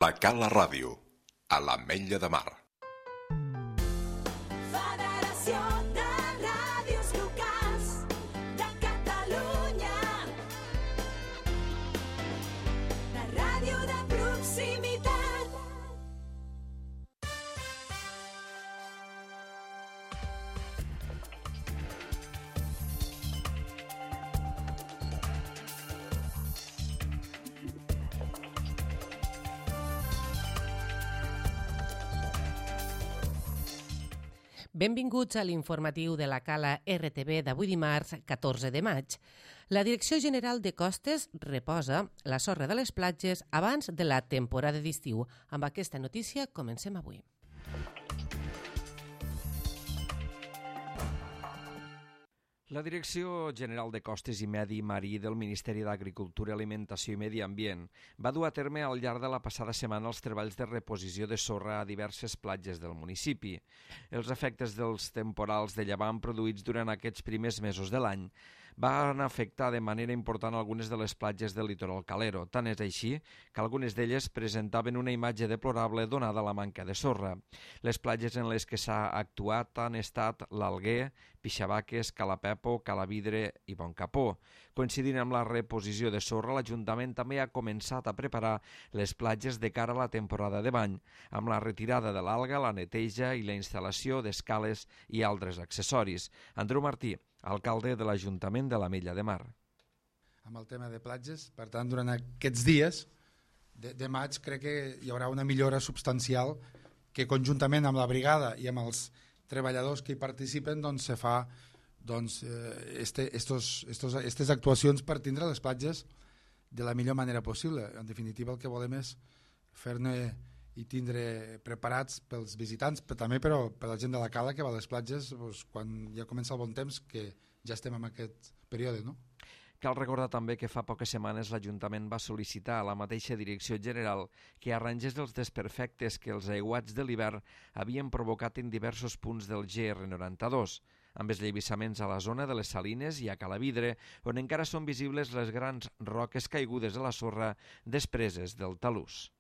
La Cala Ràdio, a l'Ametlla de Mar. Federació de Ràdios Locals de Catalunya. La ràdio de proximitat. Benvinguts a l'informatiu de la Cala RTV d'avui dimarts, 14 de maig. La Direcció General de Costes reposa la sorra de les platges abans de la temporada d'estiu. Amb aquesta notícia comencem avui. La Direcció General de Costes i Medi Marí del Ministeri d'Agricultura, Alimentació i Medi Ambient va dur a terme al llarg de la passada setmana els treballs de reposició de sorra a diverses platges del municipi. Els efectes dels temporals de llevant produïts durant aquests primers mesos de l'any van afectar de manera important algunes de les platges del litoral calero. Tant és així que algunes d'elles presentaven una imatge deplorable donada la manca de sorra. Les platges en les que s'ha actuat han estat l'Alguer, Pixabaques, Calapepo, Calavidre i Boncapó. Coincidint amb la reposició de sorra, l'Ajuntament també ha començat a preparar les platges de cara a la temporada de bany, amb la retirada de l'alga, la neteja i la instal·lació d'escales i altres accessoris. Andreu Martí, alcalde de l'Ajuntament de l'Ametlla de Mar. Amb el tema de platges, per tant, durant aquests dies de maig crec que hi haurà una millora substancial que conjuntament amb la brigada i amb els treballadors que hi participen doncs se fa estes actuacions per tindre les platges de la millor manera possible. En definitiva, el que volem és fer-ne i tindre preparats pels visitants, però també per la gent de la cala que va a les platges doncs, quan ja comença el bon temps, que ja estem en aquest període, no? Cal recordar també que fa poques setmanes l'Ajuntament va sol·licitar a la mateixa Direcció General que arrangés els desperfectes que els aiguats de l'hivern havien provocat en diversos punts del GR92, amb eslleivissaments a la zona de les Salines i a Calavidre, on encara són visibles les grans roques caigudes a la sorra despreses del talús.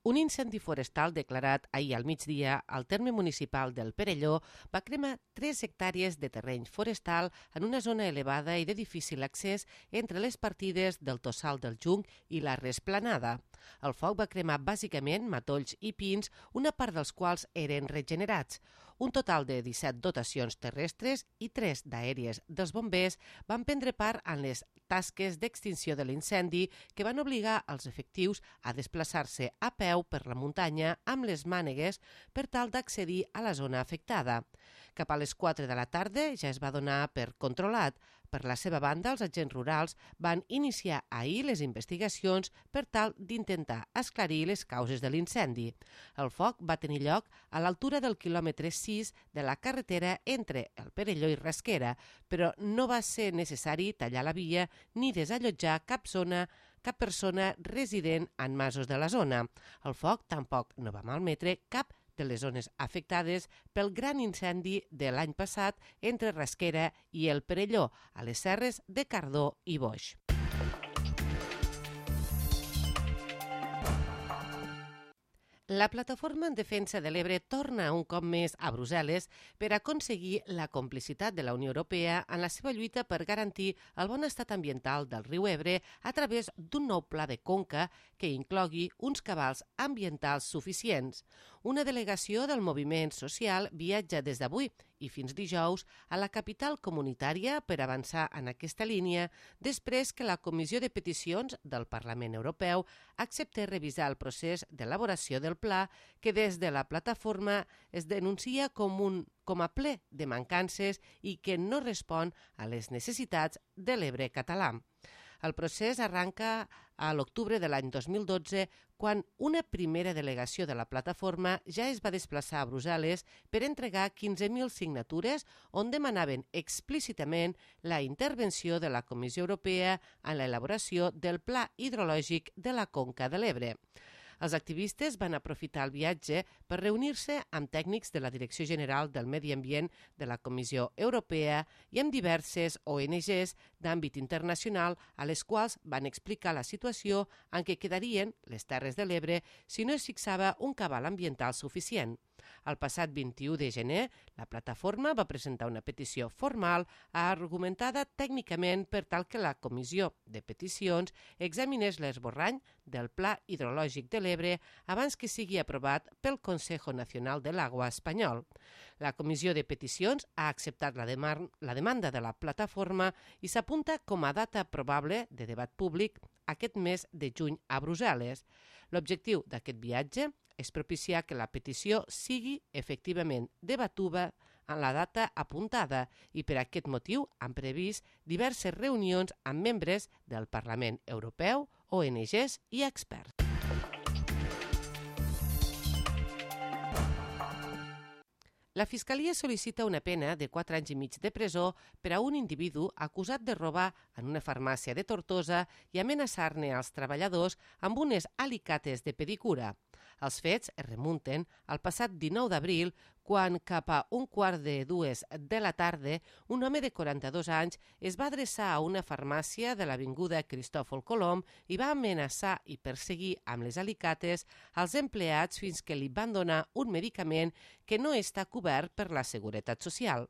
Un incendi forestal declarat ahir al migdia al terme municipal del Perelló va cremar 3 hectàrees de terreny forestal en una zona elevada i de difícil accés entre les partides del Tossal del Junc i la Resplanada. El foc va cremar bàsicament matolls i pins, una part dels quals eren regenerats. Un total de 17 dotacions terrestres i 3 d'aèries dels bombers van prendre part en les tasques d'extinció de l'incendi que van obligar els efectius a desplaçar-se a peu per la muntanya amb les mànegues per tal d'accedir a la zona afectada. Cap a les 4 de la tarda ja es va donar per controlat. Per la seva banda, els agents rurals van iniciar ahir les investigacions per tal d'intentar esclarir les causes de l'incendi. El foc va tenir lloc a l'altura del quilòmetre 6 de la carretera entre el Perelló i Rasquera, però no va ser necessari tallar la via ni desallotjar cap persona resident en masos de la zona. El foc tampoc no va malmetre cap de les zones afectades pel gran incendi de l'any passat entre Rasquera i el Perelló, a les serres de Cardó i Boix. La Plataforma en Defensa de l'Ebre torna un cop més a Brussel·les per aconseguir la complicitat de la Unió Europea en la seva lluita per garantir el bon estat ambiental del riu Ebre a través d'un nou pla de conca que inclogui uns cabals ambientals suficients. Una delegació del moviment social viatja des d'avui i fins dijous a la capital comunitària per avançar en aquesta línia després que la Comissió de Peticions del Parlament Europeu accepti revisar el procés d'elaboració del pla que des de la plataforma es denuncia com a ple de mancances i que no respon a les necessitats de l'Ebre català. El procés arranca a l'octubre de l'any 2012, quan una primera delegació de la plataforma ja es va desplaçar a Brussel·les per entregar 15.000 signatures on demanaven explícitament la intervenció de la Comissió Europea en l'elaboració del Pla Hidrològic de la Conca de l'Ebre. Els activistes van aprofitar el viatge per reunir-se amb tècnics de la Direcció General del Medi Ambient de la Comissió Europea i amb diverses ONGs d'àmbit internacional a les quals van explicar la situació en què quedarien les Terres de l'Ebre si no es fixava un cabal ambiental suficient. El passat 21 de gener, la plataforma va presentar una petició formal argumentada tècnicament per tal que la Comissió de Peticions examinés l'esborrany del Pla Hidrològic de l'Ebre abans que sigui aprovat pel Consejo Nacional de l'Agua espanyol. La Comissió de Peticions ha acceptat la demanda de la plataforma i s'apunta com a data probable de debat públic aquest mes de juny a Brussel·les. L'objectiu d'aquest viatge és propiciar que la petició sigui efectivament debatuda en la data apuntada i per aquest motiu han previst diverses reunions amb membres del Parlament Europeu, ONGs i experts. La Fiscalia sol·licita una pena de 4 anys i mig de presó per a un individu acusat de robar en una farmàcia de Tortosa i amenaçar-ne als treballadors amb unes alicates de pedicura. Els fets es remunten al passat 19 d'abril, quan cap a 1:45 de la tarda un home de 42 anys es va adreçar a una farmàcia de l'avinguda Cristòfol Colom i va amenaçar i perseguir amb les alicates als empleats fins que li van donar un medicament que no està cobert per la Seguretat Social.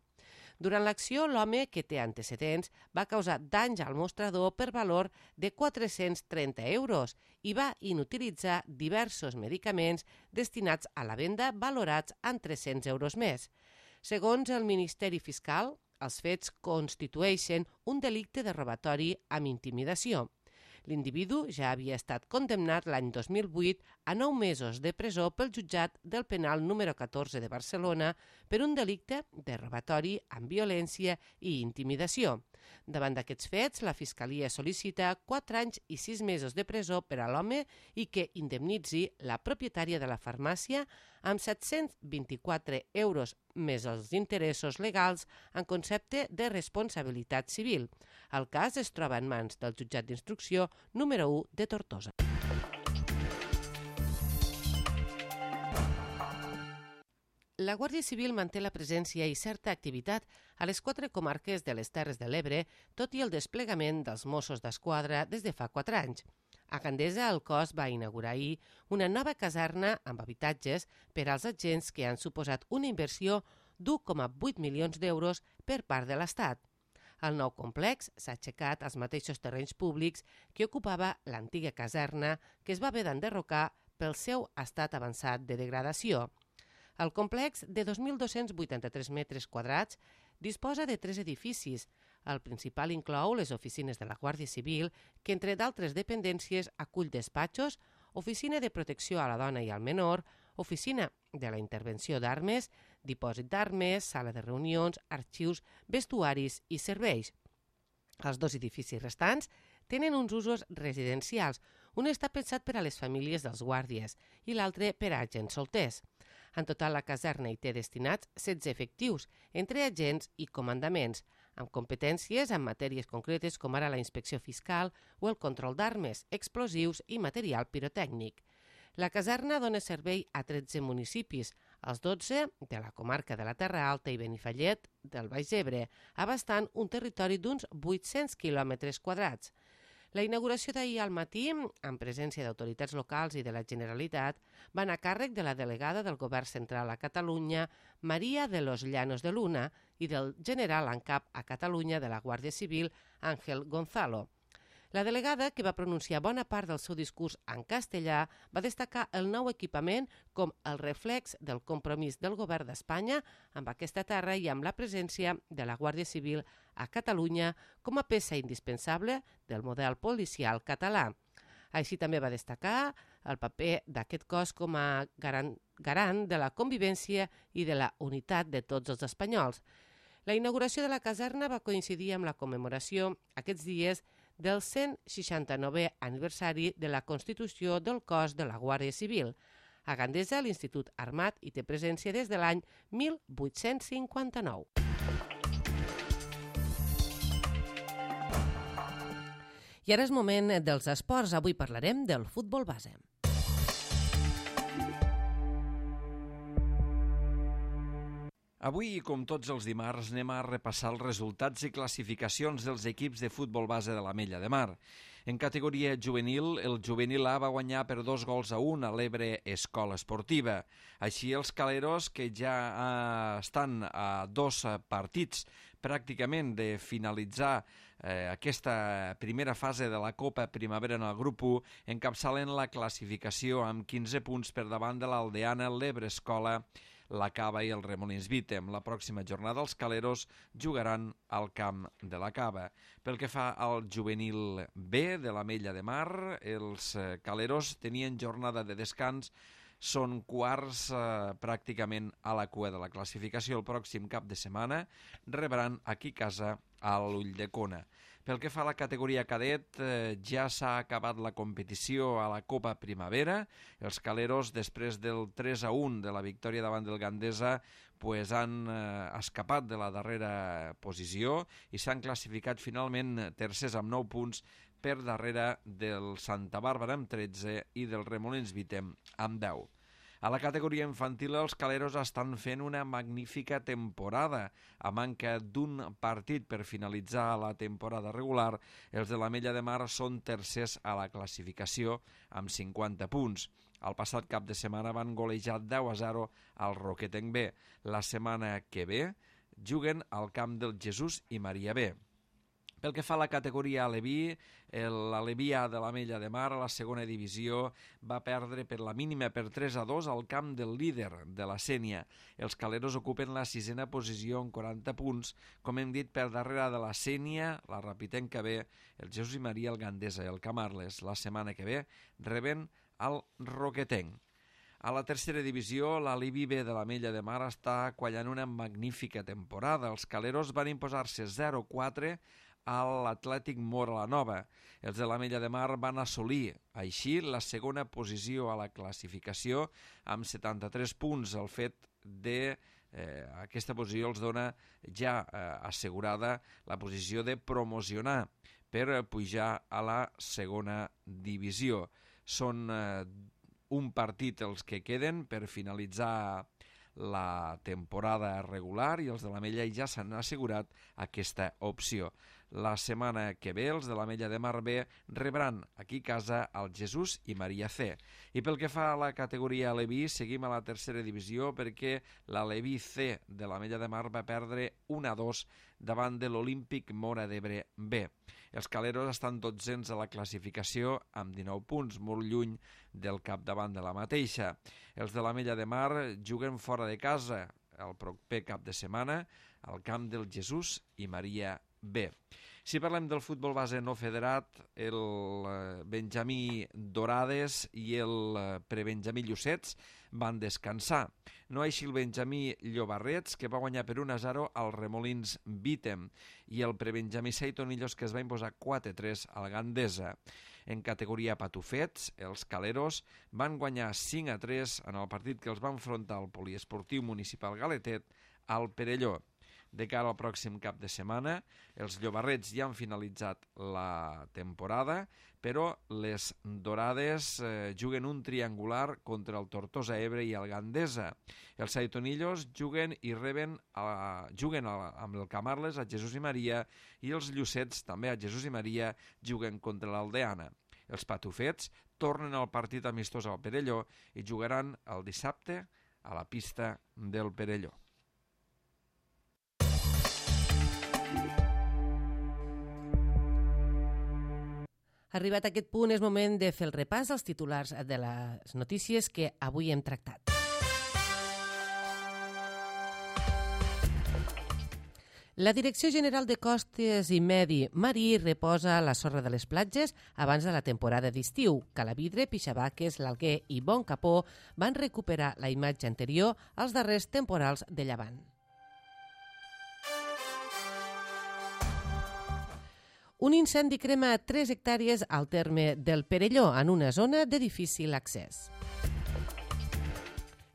Durant l'acció, l'home, que té antecedents, va causar danys al mostrador per valor de 430 euros i va inutilitzar diversos medicaments destinats a la venda valorats en 300 euros més. Segons el Ministeri Fiscal, els fets constitueixen un delicte de robatori amb intimidació. L'individu ja havia estat condemnat l'any 2008 a 9 mesos de presó pel jutjat del penal número 14 de Barcelona per un delicte de robatori amb violència i intimidació. Davant d'aquests fets, la Fiscalia sol·licita 4 anys i 6 mesos de presó per a l'home i que indemnitzi la propietària de la farmàcia amb 724 euros més els interessos legals en concepte de responsabilitat civil. El cas es troba en mans del jutjat d'instrucció número 1 de Tortosa. La Guàrdia Civil manté la presència i certa activitat a les 4 comarques de les Terres de l'Ebre, tot i el desplegament dels Mossos d'Esquadra des de fa 4 anys. A Gandesa, el cos va inaugurar ahir una nova caserna amb habitatges per als agents que han suposat una inversió d'1,8 milions d'euros per part de l'Estat. El nou complex s'ha aixecat als mateixos terrenys públics que ocupava l'antiga caserna, que es va haver d'enderrocar pel seu estat avançat de degradació. El complex, de 2.283 metres quadrats, disposa de 3 edificis. El principal inclou les oficines de la Guàrdia Civil, que entre d'altres dependències acull despatxos, oficina de protecció a la dona i al menor, oficina de la intervenció d'armes, dipòsit d'armes, sala de reunions, arxius, vestuaris i serveis. Els 2 edificis restants tenen uns usos residencials. Un està pensat per a les famílies dels guàrdies i l'altre per a agents solters. En total, la caserna hi té destinats 16 efectius, entre agents i comandaments, amb competències en matèries concretes com ara la inspecció fiscal o el control d'armes, explosius i material pirotècnic. La caserna dona servei a 13 municipis, els 12 de la comarca de la Terra Alta i Benifallet del Baix Ebre, abastant un territori d'uns 800 quilòmetres quadrats. La inauguració d'ahir al matí, en presència d'autoritats locals i de la Generalitat, va anar a càrrec de la delegada del Govern Central a Catalunya, Maria de los Llanos de Luna, i del general en cap a Catalunya de la Guàrdia Civil, Ángel Gonzalo. La delegada, que va pronunciar bona part del seu discurs en castellà, va destacar el nou equipament com el reflex del compromís del Govern d'Espanya amb aquesta terra i amb la presència de la Guàrdia Civil a Catalunya com a peça indispensable del model policial català. Així també va destacar el paper d'aquest cos com a garant de la convivència i de la unitat de tots els espanyols. La inauguració de la caserna va coincidir amb la commemoració aquests dies del 169è aniversari de la Constitució del cos de la Guàrdia Civil. A Gandesa, l'Institut Armat hi té presència des de l'any 1859. I ara és moment dels esports. Avui parlarem del futbol base. Avui, com tots els dimarts, anem a repassar els resultats i classificacions dels equips de futbol base de l'Ametlla de Mar. En categoria juvenil, el juvenil A va guanyar per 2-1 a l'Ebre Escola Esportiva. Així, els caleros, que ja estan a 2 partits pràcticament de finalitzar aquesta primera fase de la Copa Primavera en el grup 1, encapçalen la classificació amb 15 punts per davant de l'Aldeana, l'Ebre Escola, la Cava i el Remolins Vítem. La pròxima jornada els caleros jugaran al camp de la Cava. Pel que fa al juvenil B de l'Ametlla de Mar, els caleros tenien jornada de descans, són quarts pràcticament a la cua de la classificació. El pròxim cap de setmana rebran aquí a casa a l'Ulldecona. Pel que fa a la categoria cadet, ja s'ha acabat la competició a la Copa Primavera. Els caleros, després del 3-1 de la victòria davant del Gandesa, han escapat de la darrera posició i s'han classificat finalment tercers amb 9 punts per darrere del Santa Bàrbara amb 13 i del Remolins Vítem amb 10. A la categoria infantil, els caleros estan fent una magnífica temporada. A manca d'un partit per finalitzar la temporada regular, els de l'Ametlla de Mar són tercers a la classificació amb 50 punts. El passat cap de setmana van golejar 10-0 al Roquetenc B. La setmana que ve juguen al camp del Jesús i Maria B. Pel que fa a la categoria Aleví, l'Aleví A de l'Ametlla de Mar a la segona divisió va perdre per la mínima per 3-2 al camp del líder de la Sénia. Els caleros ocupen la 6a posició amb 40 punts, com hem dit, per darrere de la Sénia, la Rapitenca B, el Jesús i Maria, el Gandesa i el Camarles. La setmana que ve reben el Roquetenc. A la tercera divisió, l'Aleví B de l'Ametlla de Mar està quallant una magnífica temporada. Els caleros van imposar-se 0-4 a l'Atlètic Móra la Nova. Els de l'Ametlla de Mar van assolir així la segona posició a la classificació amb 73 punts. El fet de aquesta posició els dona ja assegurada la posició de promocionar per pujar a la segona divisió. Són un partit els que queden per finalitzar la temporada regular i els de l'Ametlla ja s'han assegurat aquesta opció. La setmana que ve els de l'Ametlla de Mar B rebran aquí a casa el Jesús i Maria C. I pel que fa a la categoria Aleví, seguim a la tercera divisió perquè l'Aleví C de l'Ametlla de Mar va perdre 1-2 davant de l'Olímpic Móra d'Ebre B. Els caleros estan 12ens a la classificació amb 19 punts, molt lluny del capdavant de la mateixa. Els de l'Ametlla de Mar juguen fora de casa el proper cap de setmana al camp del Jesús i Maria B. Si parlem del futbol base no federat, el Benjamí Dorades i el prebenjamí Llucets van descansar. No així el Benjamí Llobarrets, que va guanyar per 1-0 al Remolins Vítem, i el prebenjamí Seitonillos, que es va imposar 4-3 al Gandesa. En categoria patufets, els caleros van guanyar 5-3 en el partit que els va enfrontar el poliesportiu municipal Galetet al Perelló. De cara al pròxim cap de setmana, els llobarrets ja han finalitzat la temporada, però les dorades juguen un triangular contra el Tortosa Ebre i el Gandesa. Els saitonillos juguen amb el Camarles a Jesús i Maria i els llucets, també a Jesús i Maria, juguen contra l'Aldeana. Els patufets tornen al partit amistós al Perelló i jugaran el dissabte a la pista del Perelló. Arribat a aquest punt és moment de fer el repàs als titulars de les notícies que avui hem tractat. La Direcció General de Costes i Medi Marí reposa la sorra de les platges abans de la temporada d'estiu. Calavidre, Pixabaques, l'Alguer i Bon Capó van recuperar la imatge anterior als darrers temporals de llevant. Un incendi crema 3 hectàrees al terme del Perelló, en una zona de difícil accés.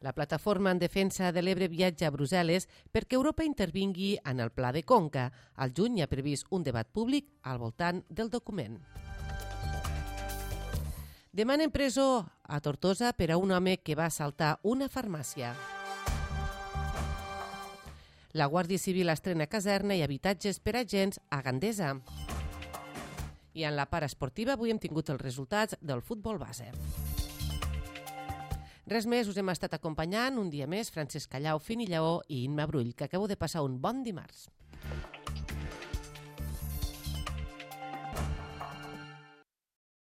La plataforma en defensa de l'Ebre viatja a Brussel·les perquè Europa intervingui en el Pla de Conca. Al juny hi ha previst un debat públic al voltant del document. Demanen presó a Tortosa per a un home que va assaltar una farmàcia. La Guàrdia Civil estrena caserna i habitatges per a agents a Gandesa. I en la part esportiva avui hem tingut els resultats del futbol base. Res més, us hem estat acompanyant un dia més Francesc Callau, Fini Lleó i Imma Brull, que acabo de passar un bon dimarts.